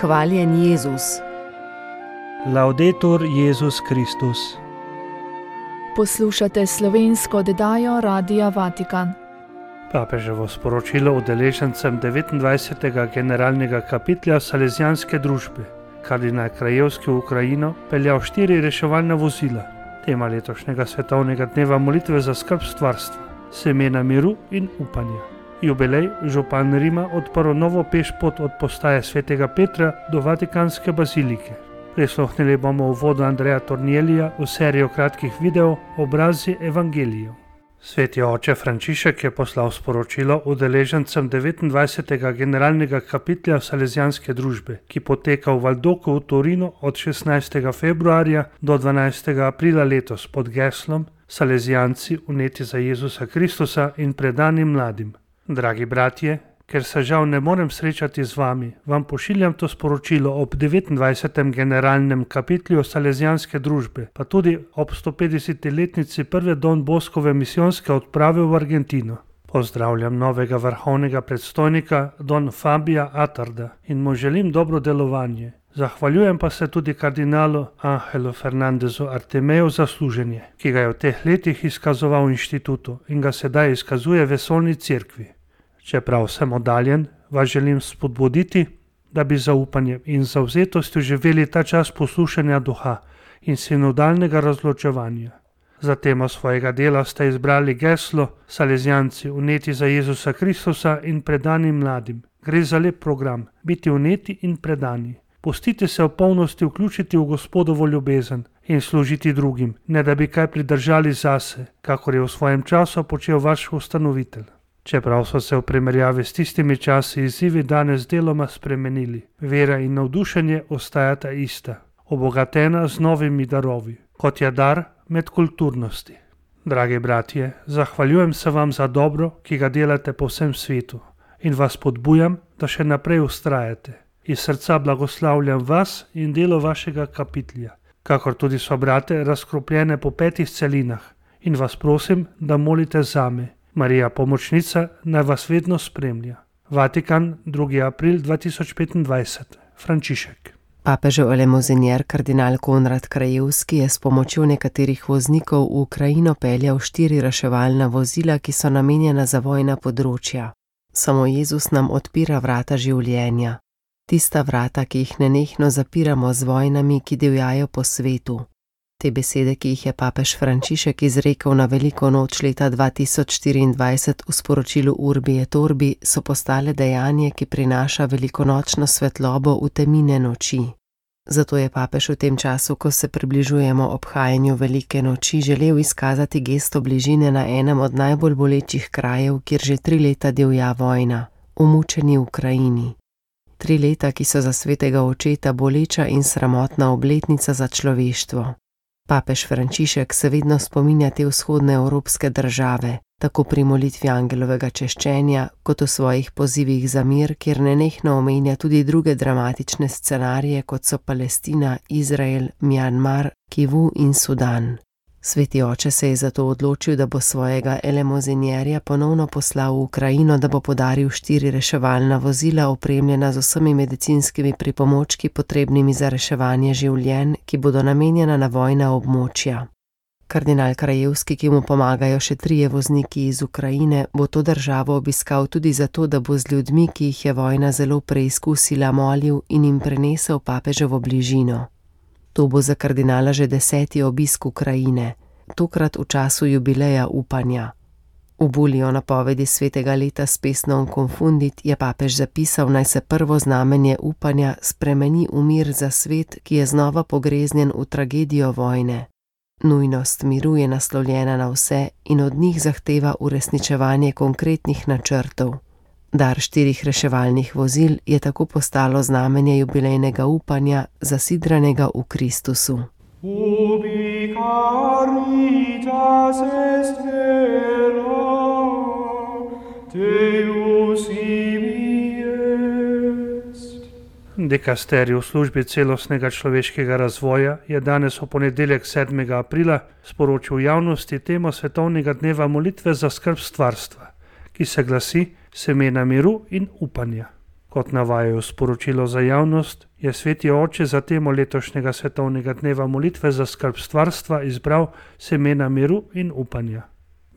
Hvaljen Jezus. Laudetur Jezus Kristus. Poslušate slovensko oddajo Radia Vatikan. Papeževo sporočilo udeležencem 29. generalnega kapitlja Salezijanske družbe. Kardinal Krajevski v Ukrajino peljal 4 reševalna vozila. Tema letošnjega svetovnega dneva molitve za skrb stvarstva, semena miru in upanja. Jubilej, župan Rima odprl novo pešpot od postaje svetega Petra do Vatikanske bazilike. Prisluhnili bomo uvodu Andreja Tornielija v serijo kratkih videov Obrazi evangelijev. Sveti oče Frančišek je poslal sporočilo udeležencem 29. generalnega kapitlja Salezijanske družbe, ki poteka v Valdoku v Torinu od 16. februarja do 12. aprila letos pod geslom Salezijanci uneti za Jezusa Kristusa in predani mladim. Dragi bratje, ker se žal ne morem srečati z vami, vam pošiljam to sporočilo ob 29. generalnem kapitlju Salezijanske družbe, pa tudi ob 150-letnici prve Don Boskove misijonske odprave v Argentino. Pozdravljam novega vrhovnega predstojnika Don Fabija Atarda in mu želim dobro delovanje. Zahvaljujem pa se tudi kardinalu Angelu Fernandezu Artemeju za služenje, ki ga je v teh letih izkazoval v inštitutu in ga sedaj izkazuje vesoljni cerkvi. Čeprav sem oddaljen, vas želim spodbuditi, da bi zaupanjem in zavzetostjo živeli ta čas poslušanja duha in sinodalnega razločevanja. Za temo svojega dela ste izbrali geslo Salezijanci uneti za Jezusa Kristusa in predani mladim. Gre za lep program, biti uneti in predani. Pustite se v polnosti vključiti v Gospodovo ljubezen in služiti drugim, ne da bi kaj pridržali zase, kakor je v svojem času počel vaš ustanovitelj. Čeprav so se v primerjavi s tistimi časi izzivi danes deloma spremenili, vera in navdušenje ostajata ista, obogatena z novimi darovi, kot je dar medkulturnosti. Dragi bratje, zahvaljujem se vam za dobro, ki ga delate po vsem svetu in vas podbujam, da še naprej vztrajate. Iz srca blagoslavljam vas in delo vašega kapitlja, kakor tudi so brate razkropljene po 5 celinah in vas prosim, da molite zame. Marija Pomočnica naj vas vedno spremlja. Vatikan, 2. april 2025. Frančišek. Papežev elemozinier kardinal Konrad Krajevski je s pomočjo nekaterih voznikov v Ukrajino peljal 4 reševalna vozila, ki so namenjena za vojna področja. Samo Jezus nam odpira vrata življenja. Tista vrata, ki jih nenehno zapiramo z vojnami, ki divjajo po svetu. Te besede, ki jih je papež Frančišek izrekel na veliko noč leta 2024 v sporočilu Urbi et Orbi, so postale dejanje, ki prinaša velikonočno svetlobo v temine noči. Zato je papež v tem času, ko se približujemo obhajanju velike noči, želel izkazati gesto bližine na enem od najbolj bolečih krajev, kjer že 3 leta divja vojna, v mučeni Ukrajini. 3 leta, ki so za svetega očeta boleča in sramotna obletnica za človeštvo. Papež Frančišek se vedno spominja te vzhodne evropske države, tako pri molitvi angelovega češčenja, kot v svojih pozivih za mir, kjer nenehno omenja tudi druge dramatične scenarije, kot so Palestina, Izrael, Mjanmar, Kivu in Sudan. Sveti oče se je zato odločil, da bo svojega elemozinjerja ponovno poslal v Ukrajino, da bo podaril 4 reševalna vozila, opremljena z vsemi medicinskimi pripomočki potrebnimi za reševanje življenj, ki bodo namenjena na vojna območja. Kardinal Krajevski, ki mu pomagajo še 3 vozniki iz Ukrajine, bo to državo obiskal tudi zato, da bo z ljudmi, ki jih je vojna zelo preizkusila, molil in jim prenesel papeževo bližino. To bo za kardinala že 10. obisk Ukrajine, tokrat v času jubileja upanja. V bulji o napovedi svetega leta s pesnom Confundit je papež zapisal, naj se prvo znamenje upanja spremeni v mir za svet, ki je znova pogreznjen v tragedijo vojne. Nujnost miru je naslovljena na vse in od njih zahteva uresničevanje konkretnih načrtov. Dar 4 reševalnih vozil je tako postalo znamenje jubilejnega upanja, zasidranega v Kristusu. Ubi caritas est vera, Deus ibi est. Dikasterij v službi celostnega človeškega razvoja je danes v ponedeljek 7. aprila sporočil javnosti temo svetovnega dneva molitve za skrb stvarstva, ki se glasi semena miru in upanja. Kot navajajo sporočilo za javnost, je Sveti Oče za temo letošnjega svetovnega dneva molitve za skrb stvarstva izbral semena miru in upanja.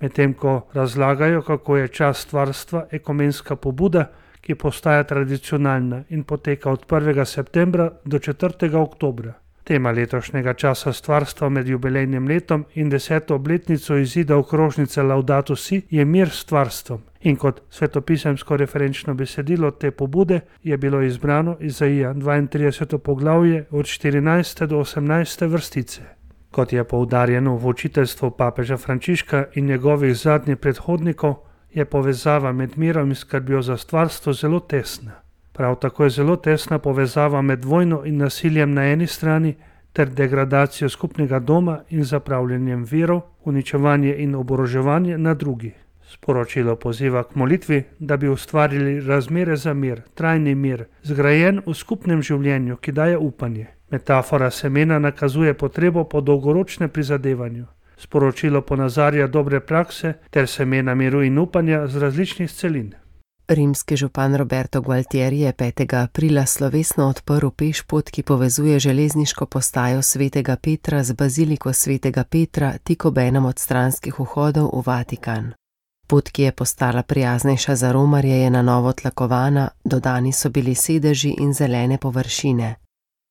Medtem ko razlagajo, kako je čas stvarstva ekumenska pobuda, ki postaja tradicionalna in poteka od 1. septembra do 4. oktobra. Tema letošnjega časa stvarstva med jubilejnim letom in 10. obletnico izida okrožnice Laudato Si je mir s stvarstvom. In kot svetopisemsko referenčno besedilo te pobude je bilo izbrano Izaija 32. poglavje od 14. do 18. vrstice. Kot je poudarjeno v učiteljstvu papeža Frančiška in njegovih zadnjih predhodnikov, je povezava med mirom in skrbjo za stvarstvo zelo tesna. Prav tako je zelo tesna povezava med vojno in nasiljem na eni strani ter degradacijo skupnega doma in zapravljanjem virov, uničevanje in oboroževanje na drugi. Sporočilo poziva k molitvi, da bi ustvarili razmere za mir, trajni mir, zgrajen v skupnem življenju, ki daje upanje. Metafora semena nakazuje potrebo po dolgoročnem prizadevanju. Sporočilo ponazarja dobre prakse ter semena miru in upanja z različnih celin. Rimski župan Roberto Gualtieri je 5. aprila slovesno odprl pešpot, ki povezuje železniško postajo Svetega Petra z baziliko Svetega Petra tik ob enem od stranskih vhodov v Vatikan. Pot, ki je postala prijaznejša za romarje, je na novo tlakovana, dodani so bili sedeži in zelene površine.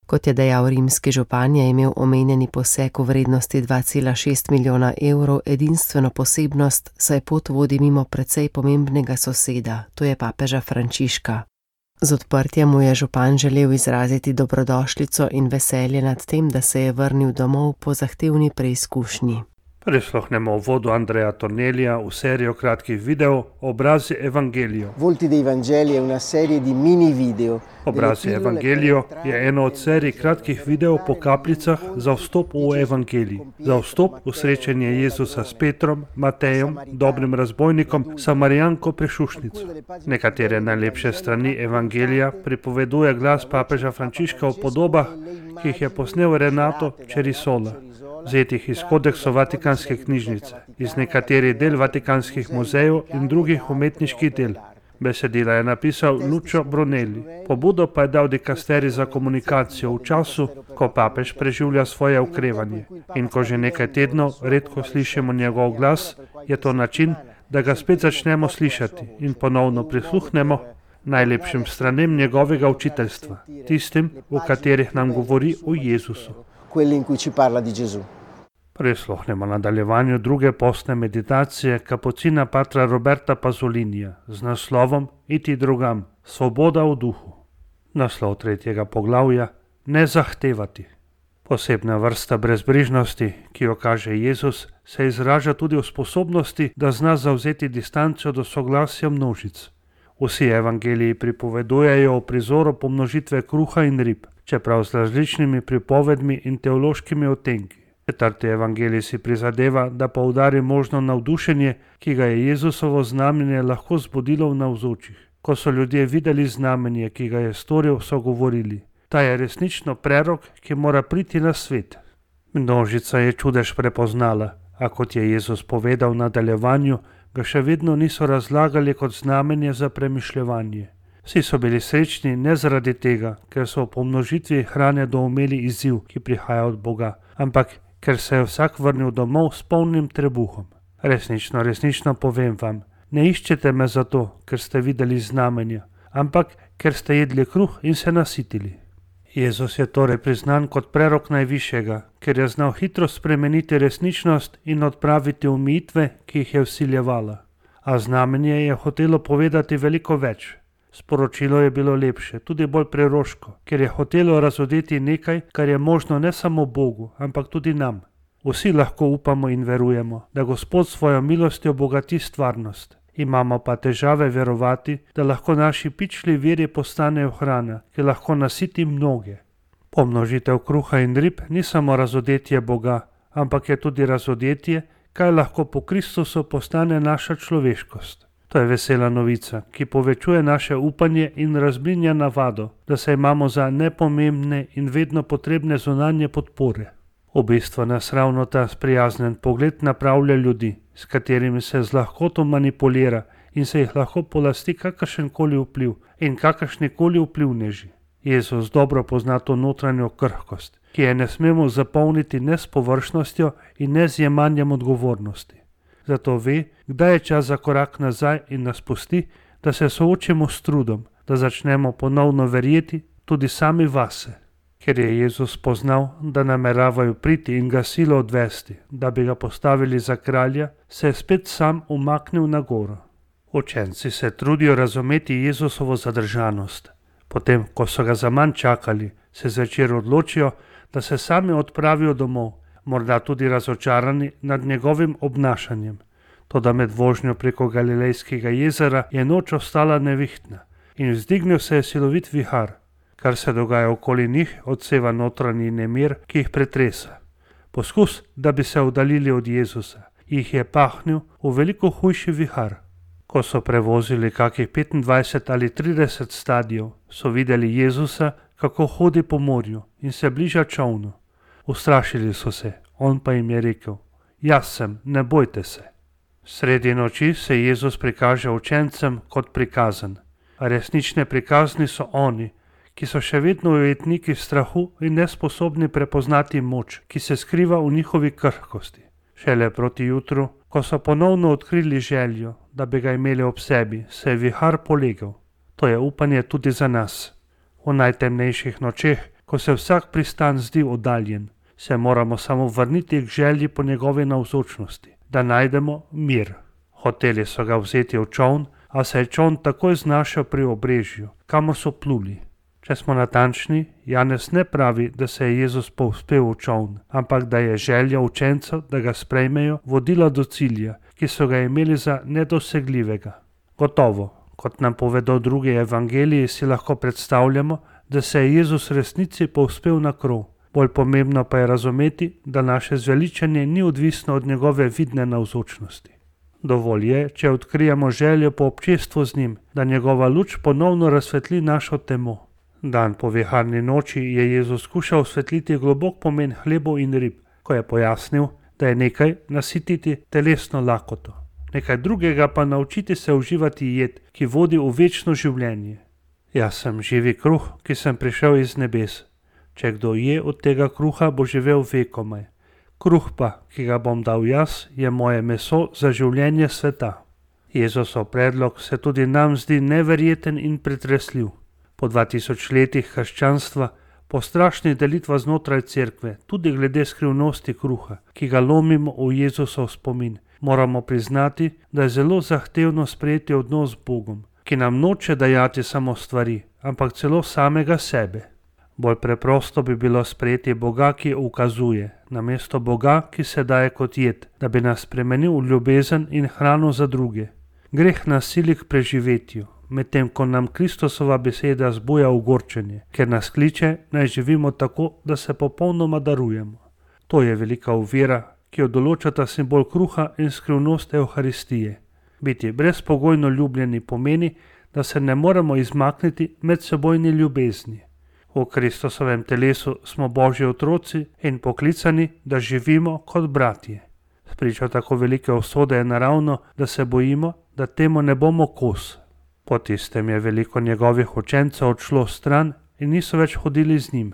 Kot je dejal rimski župan, je imel omenjeni poseg v vrednosti 2,6 milijona evrov edinstveno posebnost, saj pot vodi mimo precej pomembnega soseda, to je papeža Frančiška. Z odprtjem mu je župan želel izraziti dobrodošlico in veselje nad tem, da se je vrnil domov po zahtevni preizkušnji. Prisluhnemo uvodu Andreja Tornelija v serijo kratkih videov Obrazi Evangelijo. Volti dei Vangeli je una serie di mini video. Obrazi Evangelijo je eno od serij kratkih videov po kapljicah za vstop v Evangelij, za vstop v srečanje Jezusa s Petrom, Matejem, dobrim razbojnikom, Samarijanko prešušnico. Nekatere najlepše strani Evangelija pripoveduje glas papeža Frančiška o podobah, ki jih je posnel Renato Cerisola, vzetih iz kodeksov Vatikanske knjižnice, iz nekaterih del vatikanskih muzejev in drugih umetniških del. Besedila je napisal Lucio Brunelli. Pobudo pa je dal dikasterij za komunikacijo v času, ko papež preživlja svoje okrevanje. In ko že nekaj tednov redko slišimo njegov glas, je to način, da ga spet začnemo slišati in ponovno prisluhnemo najlepšim stranem njegovega učiteljstva, tistim, v katerih nam govori o Jezusu. Prisluhnemo nadaljevanju druge postne meditacije kapucina patra Roberta Pazzolinija z naslovom Iti drugam, svoboda v duhu. Naslov 3. poglavja Ne zahtevati. Posebna vrsta brezbrižnosti, ki jo kaže Jezus, se izraža tudi v sposobnosti, da zna zavzeti distanco do soglasja množic. Vsi evangeliji pripovedujejo o prizoru pomnožitve kruha in rib, čeprav z različnimi pripovedmi in teološkimi odtenki. 4. evangelij si prizadeva, da poudari možno navdušenje, ki ga je Jezusovo znamenje lahko zbudilo v navzočih. Ko so ljudje videli znamenje, ki ga je storil, so govorili: ta je resnično prerok, ki mora priti na svet. Množica je čudež prepoznala, a kot je Jezus povedal v nadaljevanju, ga še vedno niso razlagali kot znamenje za premišljevanje. Vsi so bili srečni ne zaradi tega, ker so v pomnožitvi hrane doumeli izziv, ki prihaja od Boga, ampak ker se je vsak vrnil domov s polnim trebuhom. Resnično povem vam, ne iščete me zato, ker ste videli znamenja, ampak ker ste jedli kruh in se nasitili. Jezus je torej priznan kot prerok najvišjega, ker je znal hitro spremeniti resničnost in odpraviti omejitve, ki jih je vsiljevala. A znamenje je hotelo povedati veliko več. Sporočilo je bilo lepše, tudi bolj preroško, ker je hotelo razodeti nekaj, kar je možno ne samo Bogu, ampak tudi nam. Vsi lahko upamo in verujemo, da Gospod svojo milostjo bogati stvarnost. Imamo pa težave verovati, da lahko naši pičli viri postanejo hrana, ki lahko nasiti mnoge. Pomnožitev kruha in rib ni samo razodetje Boga, ampak je tudi razodetje, kaj lahko po Kristusu postane naša človeškost. To je vesela novica, ki povečuje naše upanje in razblinja navado, da se imamo za nepomembne in vedno potrebne zunanje podpore. V bistvu nas ravno ta sprijaznen pogled napravlja ljudi, s katerimi se z lahkoto manipulira in se jih lahko polasti kakršenkoli vpliv in kakršnikoli vplivneži. Jezus dobro pozna to notranjo krhkost, ki je ne smemo zapolniti ne s površnostjo in ne z jemanjem odgovornosti. Zato ve, kdaj je čas za korak nazaj in nas pusti, da se soočimo s trudom, da začnemo ponovno verjeti tudi sami vase. Ker je Jezus poznal, da nameravajo priti in ga silo odvesti, da bi ga postavili za kralja, se je spet sam umaknil na goro. Učenci se trudijo razumeti Jezusovo zadržanost. Potem, ko so ga zaman čakali, se zvečer odločijo, da se sami odpravijo domov, morda tudi razočarani nad njegovim obnašanjem. Toda med vožnjo preko Galilejskega jezera je noč ostala nevihtna in vzdignil se je silovit vihar. Kar se dogaja okoli njih, odseva notranji nemir, ki jih pretresa. Poskus, da bi se oddaljili od Jezusa, jih je pahnil v veliko hujši vihar. Ko so prevozili kakih 25 ali 30 stadijev, so videli Jezusa, kako hodi po morju in se bliža čolnu. Ustrašili so se, on pa jim je rekel: "Jaz sem, ne bojte se." Sredi noči se Jezus prikaže učencem kot prikazan, a resnične prikazni so oni, ki so še vedno ujetniki strahu in nesposobni prepoznati moč, ki se skriva v njihovi krhkosti. Šele proti jutru, ko so ponovno odkrili željo, da bi ga imeli ob sebi, se je vihar polegel. To je upanje tudi za nas. V najtemnejših nočeh, ko se vsak pristan zdi oddaljen, se moramo samo vrniti k želji po njegovi navzočnosti, da najdemo mir. Hoteli so ga vzeti v čoln, a se je čoln takoj znašel pri obrežju, kamor so pluli. Če smo natančni, Janez ne pravi, da se je Jezus povzpel v čoln, ampak da je želja učencev, da ga sprejmejo, vodila do cilja, ki so ga imeli za nedosegljivega. Gotovo, kot nam povedo drugi evangeliji, si lahko predstavljamo, da se je Jezus resnici povzpel na krov. Bolj pomembno pa je razumeti, da naše zveličanje ni odvisno od njegove vidne navzočnosti. Dovolj je, če odkrijemo željo po občestvu z njim, da njegova luč ponovno razsvetli našo temo. Dan po viharni noči je Jezus skušal osvetliti globok pomen hlebov in rib, ko je pojasnil, da je nekaj nasititi telesno lakoto, nekaj drugega pa naučiti se uživati jed, ki vodi v večno življenje. Jaz sem živi kruh, ki sem prišel iz nebes. Če kdo je od tega kruha, bo živel vekomaj. Kruh pa, ki ga bom dal jaz, je moje meso za življenje sveta. Jezusov predlog se tudi nam zdi neverjeten in pretresljiv. Po 2000 letih krščanstva, po strašnih delitvah znotraj cerkve, tudi glede skrivnosti kruha, ki ga lomimo v Jezusov spomin, moramo priznati, da je zelo zahtevno sprejeti odnos z Bogom, ki nam noče dajati samo stvari, ampak celo samega sebe. Bolj preprosto bi bilo sprejeti Boga, ki ukazuje, namesto Boga, ki se daje kot jed, da bi nas spremenil v ljubezen in hrano za druge. Greh nas sili k preživetju, medtem ko nam Kristusova beseda zbuja ogorčenje, ker nas kliče, naj živimo tako, da se popolnoma darujemo. To je velika ovira, ki jo določata simbol kruha in skrivnost Evharistije. Biti brezpogojno ljubljeni pomeni, da se ne moremo izmakniti medsebojni ljubezni. V Kristusovem telesu smo Božji otroci in poklicani, da živimo kot bratje. Spričo tako velike usode je naravno, da se bojimo, da temu ne bomo kos. Po tistem je veliko njegovih učencev odšlo stran in niso več hodili z njim.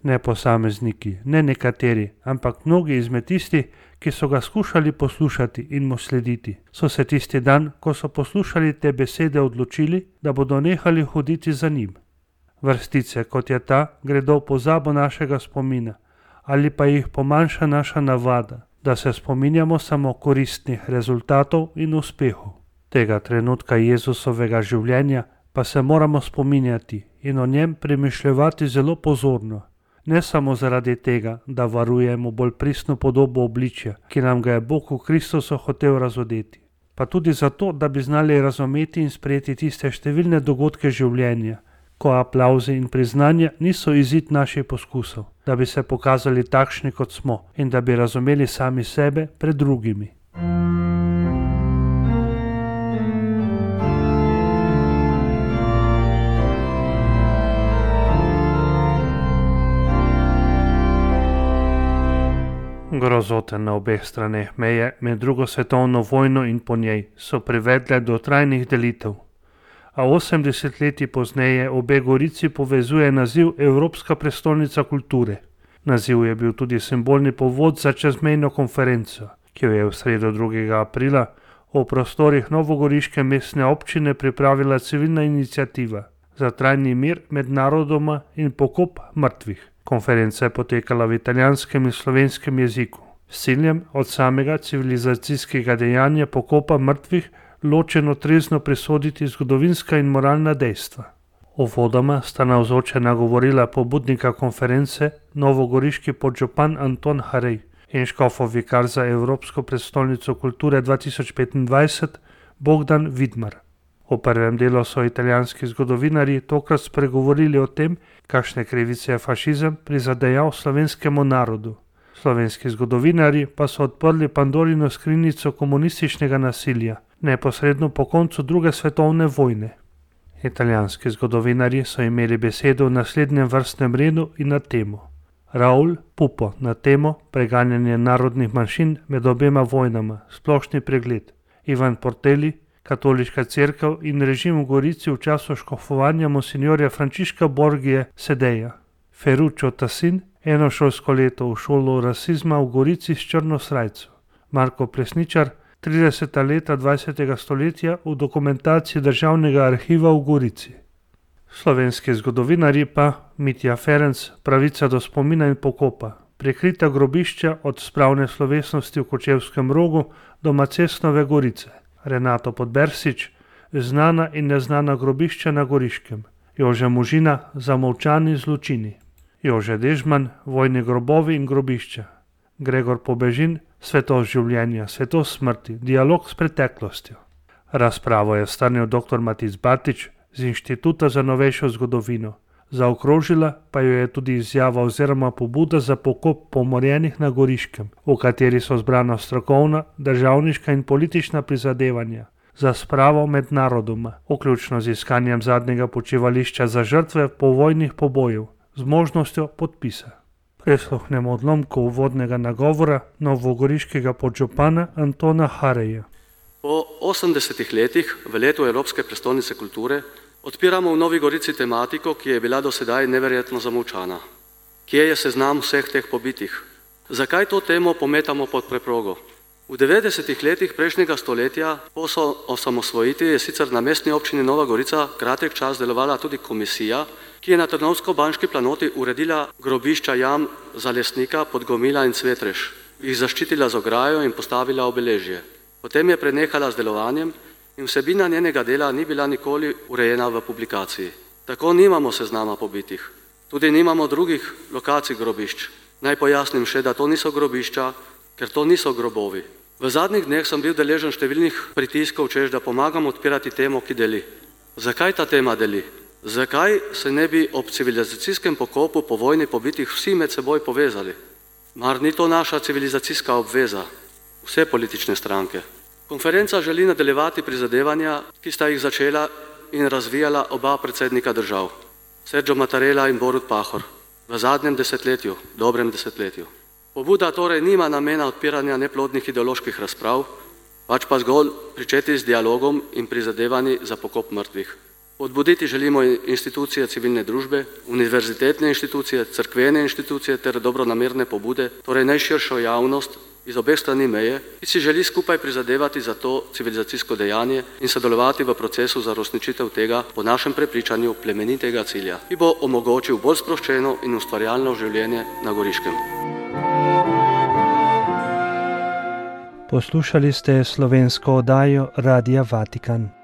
Ne posamezniki, ne nekateri, ampak mnogi izmed tistih, ki so ga skušali poslušati in mu slediti, so se tisti dan, ko so poslušali te besede, odločili, da bodo nehali hoditi za njim. Vrstice, kot je ta, gredo v pozabo našega spomina, ali pa jih pomanjša naša navada, da se spominjamo samo koristnih rezultatov in uspehov. Tega trenutka Jezusovega življenja pa se moramo spominjati in o njem premišljevati zelo pozorno, ne samo zaradi tega, da varujemo bolj pristno podobo obličja, ki nam ga je Bog v Kristusu hotel razodeti, pa tudi zato, da bi znali razumeti in sprejeti tiste številne dogodke življenja, ko aplavzi in priznanja niso izid naših poskusov, da bi se pokazali takšni, kot smo, in da bi razumeli sami sebe pred drugimi. Grozote na obeh straneh meje med drugo svetovno vojno in po njej so privedle do trajnih delitev. A 80 leti pozneje obe gorici povezuje naziv Evropska prestolnica kulture. Naziv je bil tudi simbolni povod za čezmejno konferenco, ki jo je v sredo 2. aprila v prostorih novogoriške mestne občine pripravila civilna iniciativa za trajni mir med narodoma in pokop mrtvih. Konferenca je potekala v italijanskem in slovenskem jeziku, s ciljem od samega civilizacijskega dejanja pokopa mrtvih ločeno trezno presoditi zgodovinska in moralna dejstva. Uvodoma sta navzoče nagovorila pobudnika konference, novogoriški podžupan Anton Harej in škofov vikar za Evropsko prestolnico kulture 2025 Bogdan Vidmar. V prvem delu so italijanski zgodovinarji tokrat spregovorili o tem, kakšne krivice je fašizem prizadejal slovenskemu narodu. Slovenski zgodovinarji pa so odprli Pandorino skrinjico komunističnega nasilja, neposredno po koncu 2. svetovne vojne. Italijanski zgodovinarji so imeli besedo v naslednjem vrstnem redu in na temo. Raul Pupo na temo preganjanje narodnih manjšin med obema vojnama, splošni pregled. Ivan Porteli, katoliška cerkev in režim v Gorici v času škofovanja monsinjorja Frančiška Borgije Sedeja. Ferruccio Tassin, eno šolsko leto v šolo rasizma v Gorici s črno srajco. Marko Plesničar, 30. leta 20. stoletja v dokumentaciji Državnega arhiva v Gorici. Slovenski zgodovinarji pa Mitja Ferenc, pravica do spomina in pokopa, prekrita grobišča od spravne slovesnosti v Kočevskem Rogu do Macesnove Gorice. Renato Podbersič, znana in neznana grobišča na Goriškem. Jože Možina, zamolčani zločini. Jože Dežman, vojni grobovi in grobišča. Gregor Pobežin, svetost življenja, svetost smrti, dialog s preteklostjo. Razpravo je strnil dr. Matic Batič z Inštituta za novejšo zgodovino. Zaokrožila pa jo je tudi izjava oziroma pobuda za pokop pomorjenih na Goriškem, v kateri so zbrana strokovna, državniška in politična prizadevanja za spravo med narodoma, vključno z iskanjem zadnjega počivališča za žrtve povojnih pobojev, z možnostjo podpisa. Prisluhnemo odlomku uvodnega nagovora novogoriškega podžupana Antona Hareja. Po 80 letih, v letu Evropske prestolnice kulture, odpiramo v Novi Gorici tematiko, ki je bila do sedaj neverjetno zamolčana. Kje je seznam vseh teh pobitih? Zakaj to temo pometamo pod preprogo? V 90 letih prejšnjega stoletja po osamosvojitvi je sicer na mestni občini Nova Gorica kratek čas delovala tudi komisija, ki je na Trnovsko-Banški planoti uredila grobišča jam za Lesnika, Podgomila in Cvetreš, jih zaščitila z ograjo in postavila obeležje. Potem je prenehala z delovanjem in vsebina njenega dela ni bila nikoli urejena v publikaciji. Tako nimamo seznama pobitih. Tudi nimamo drugih lokacij grobišč. Naj pojasnim še, da to niso grobišča, ker to niso grobovi. V zadnjih dneh sem bil deležen številnih pritiskov, češ da pomagam odpirati temo, ki deli. Zakaj ta tema deli? Zakaj se ne bi ob civilizacijskem pokopu po vojni pobitih vsi med seboj povezali? Mar ni to naša civilizacijska obveza? Vse politične stranke. Konferenca želi nadaljevati prizadevanja, ki sta jih začela in razvijala oba predsednika držav, Sergio Mattarella in Borut Pahor, v zadnjem desetletju, dobrem desetletju. Pobuda torej nima namena odpiranja neplodnih ideoloških razprav, pač pa zgolj pričeti z dialogom in prizadevanji za pokop mrtvih. Podbuditi želimo institucije civilne družbe, univerzitetne institucije, cerkvene institucije ter dobronamerne pobude, torej najširšo javnost iz obeh strani meje, ki si želi skupaj prizadevati za to civilizacijsko dejanje in sodelovati v procesu za uresničitev tega, po našem prepričanju, plemenitega cilja, ki bo omogočil bolj sproščeno in ustvarjalno življenje na Goriškem. Poslušali ste slovensko oddajo Radia Vatikan.